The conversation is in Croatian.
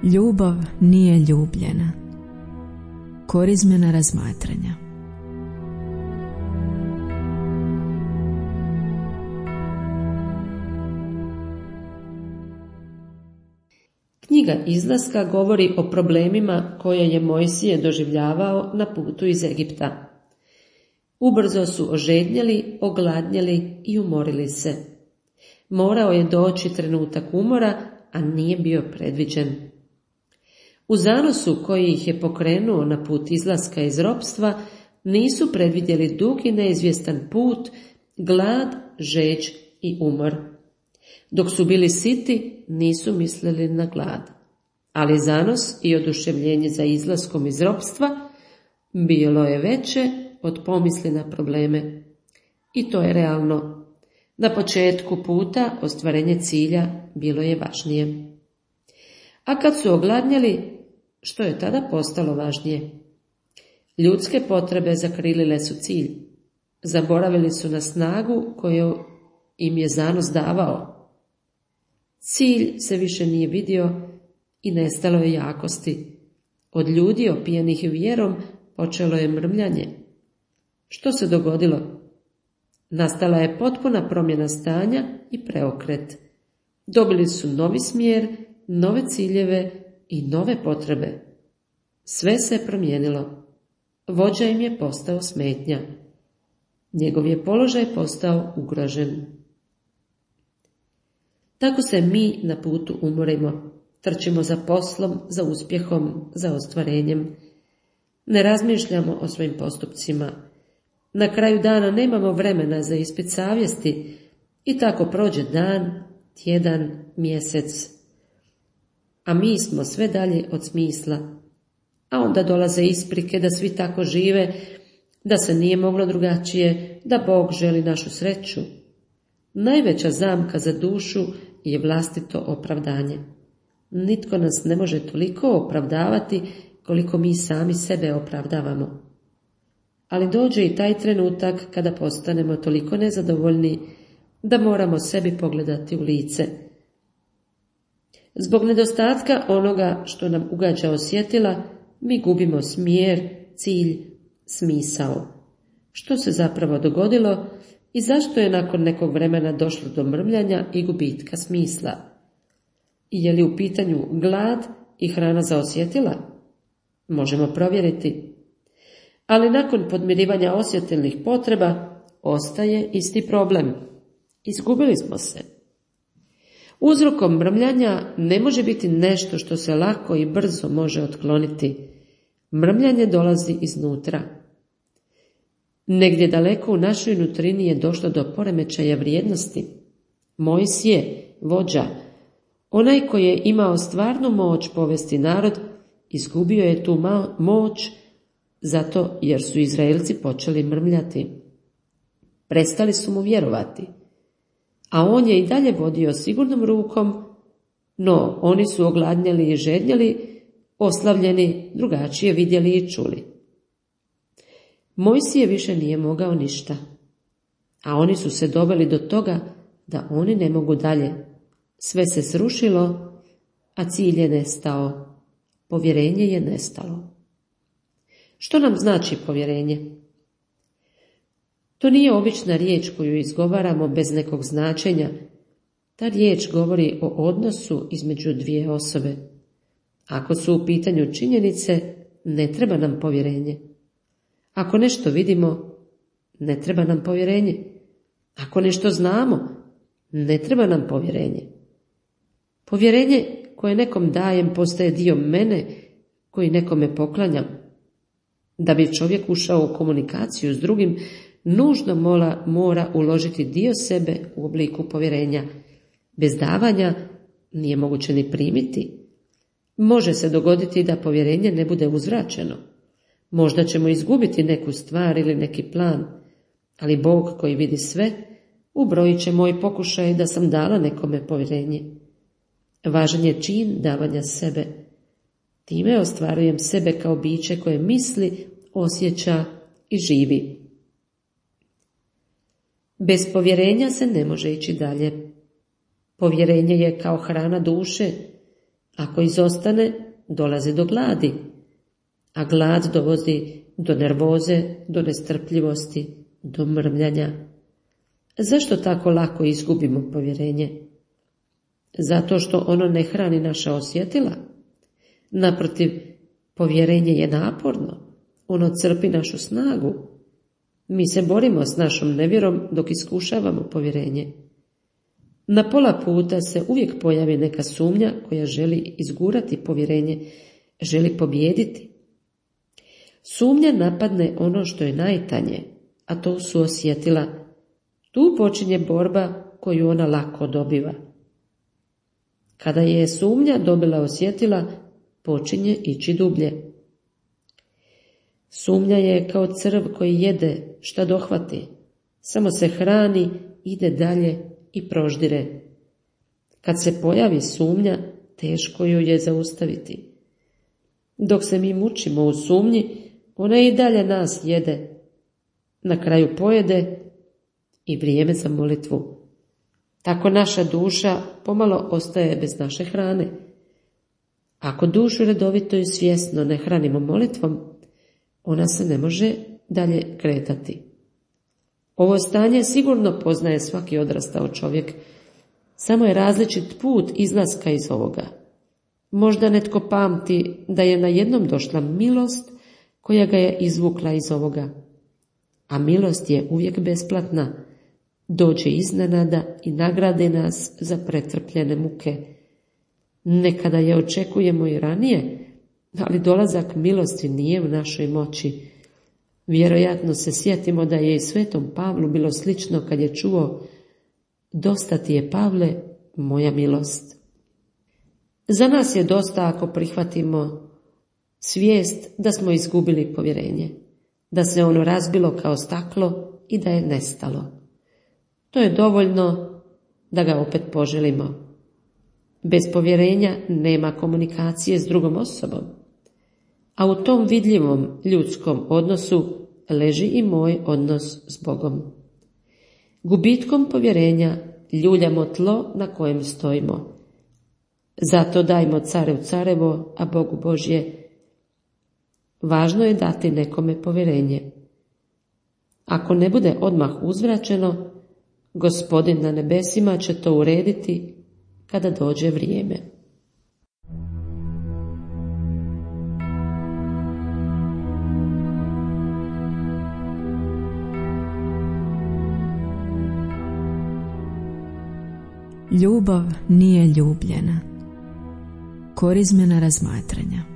Ljubav nije ljubljena. Korizmena razmatranja. Knjiga Izlaska govori o problemima koje je Mojsije doživljavao na putu iz Egipta. Ubrzo su ožednjeli, ogladnjeli i umorili se. Morao je doći trenutak umora, a nije bio predviđen. U zanosu koji ih je pokrenuo na put izlaska iz ropstva, nisu predvidjeli dug i neizvjestan put, glad, žeđ i umor. Dok su bili siti, nisu mislili na glad. Ali zanos i oduševljenje za izlaskom iz ropstva bilo je veće od pomisli na probleme. I to je realno. Na početku puta ostvarenje cilja bilo je važnije. A kad su ogladnjeli, što je tada postalo važnije? Ljudske potrebe zakrilile su cilj. Zaboravili su na snagu koju im je zanos davao. Cilj se više nije vidio i nestalo je jakosti. Od ljudi opijenih vjerom počelo je mrmljanje. Što se dogodilo? Nastala je potpuna promjena stanja i preokret. Dobili su novi smjer, nove ciljeve i nove potrebe. Sve se promijenilo. Vođa im je postao smetnja. Njegov je položaj postao ugrožen. Tako se mi na putu umorimo. Trčimo za poslom, za uspjehom, za ostvarenjem. Ne razmišljamo o svojim postupcima. Na kraju dana nemamo vremena za ispit savjesti i tako prođe dan, tjedan, mjesec. A mi smo sve dalje od smisla. A onda dolaze isprike da svi tako žive, da se nije moglo drugačije, da Bog želi našu sreću. Najveća zamka za dušu je vlastito opravdanje. Nitko nas ne može toliko opravdavati koliko mi sami sebe opravdavamo. Ali dođe i taj trenutak kada postanemo toliko nezadovoljni da moramo sebi pogledati u lice. Zbog nedostatka onoga što nam ugađa osjetila, mi gubimo smjer, cilj, smisao. Što se zapravo dogodilo i zašto je nakon nekog vremena došlo do mrmljanja i gubitka smisla? I je li u pitanju glad i hrana za osjetila? Možemo provjeriti. Ali nakon podmirivanja osjetilnih potreba ostaje isti problem. Izgubili smo se. Uzrokom mrmljanja ne može biti nešto što se lako i brzo može otkloniti. Mrmljanje dolazi iznutra. Negdje daleko u našoj nutrini je došlo do poremećaja vrijednosti. Mojsije, vođa, onaj koji je imao stvarnu moć povesti narod, izgubio je tu moć zato jer su Izraelci počeli mrmljati. Prestali su mu vjerovati. A on je i dalje vodio sigurnom rukom, no oni su ogladnjali i žednjeli, oslavljeni, drugačije vidjeli i čuli. Mojsije više nije mogao ništa, a oni su se doveli do toga da oni ne mogu dalje. Sve se srušilo, a cilj je nestao. Povjerenje je nestalo. Što nam znači povjerenje? To nije obična riječ koju izgovaramo bez nekog značenja. Ta riječ govori o odnosu između dvije osobe. Ako su u pitanju činjenice, ne treba nam povjerenje. Ako nešto vidimo, ne treba nam povjerenje. Ako nešto znamo, ne treba nam povjerenje. Povjerenje koje nekom dajem postaje dio mene koji nekome poklanjam. Da bi čovjek ušao u komunikaciju s drugim, nužno mora uložiti dio sebe u obliku povjerenja. Bez davanja nije moguće ni primiti. Može se dogoditi da povjerenje ne bude uzvraćeno. Možda ćemo izgubiti neku stvar ili neki plan, ali Bog koji vidi sve, ubrojit će moj pokušaj da sam dala nekome povjerenje. Važan je čin davanja sebe. Time ostvarujem sebe kao biće koje misli, osjeća i živi. Bez povjerenja se ne može ići dalje. Povjerenje je kao hrana duše. Ako izostane, dolazi do gladi, a glad dovodi do nervoze, do nestrpljivosti, do mrmljanja. Zašto tako lako izgubimo povjerenje? Zato što ono ne hrani naša osjetila. Naprotiv, povjerenje je naporno, ono crpi našu snagu. Mi se borimo s našom nevjerom dok iskušavamo povjerenje. Na pola puta se uvijek pojavi neka sumnja koja želi izgurati povjerenje, želi pobijediti. Sumnja napadne ono što je najtanje, a to su osjetila. Tu počinje borba koju ona lako dobiva. Kada je sumnja dobila osjetila, počinje ići dublje. Sumnja je kao crv koji jede šta dohvati, samo se hrani, ide dalje i proždire. Kad se pojavi sumnja, teško ju je zaustaviti. Dok se mi mučimo u sumnji, ona i dalje nas jede. Na kraju pojede i vrijeme za molitvu. Tako naša duša pomalo ostaje bez naše hrane. Ako dušu redovito i svjesno ne hranimo molitvom, ona se ne može dalje kretati. Ovo stanje sigurno poznaje svaki odrastao čovjek, samo je različit put izlaska iz ovoga. Možda netko pamti da je na jednom došla milost koja ga je izvukla iz ovoga. A milost je uvijek besplatna, dođe iznenada i nagrade nas za pretrpljene muke. Nekada je očekujemo i ranije, ali dolazak milosti nije u našoj moći. Vjerojatno se sjetimo da je i svetom Pavlu bilo slično kad je čuo: dosta ti je, Pavle, moja milost. Za nas je dosta ako prihvatimo svijest da smo izgubili povjerenje, da se ono razbilo kao staklo i da je nestalo. To je dovoljno da ga opet poželimo. Bez povjerenja nema komunikacije s drugom osobom, a u tom vidljivom ljudskom odnosu leži i moj odnos s Bogom. Gubitkom povjerenja ljuljamo tlo na kojem stojimo. Zato dajmo carev carevo, a Bogu Božje. Važno je dati nekome povjerenje. Ako ne bude odmah uzvraćeno, Gospodin na nebesima će to urediti kada dođe vrijeme. Ljubav nije ljubljena. Korizmena razmatranja.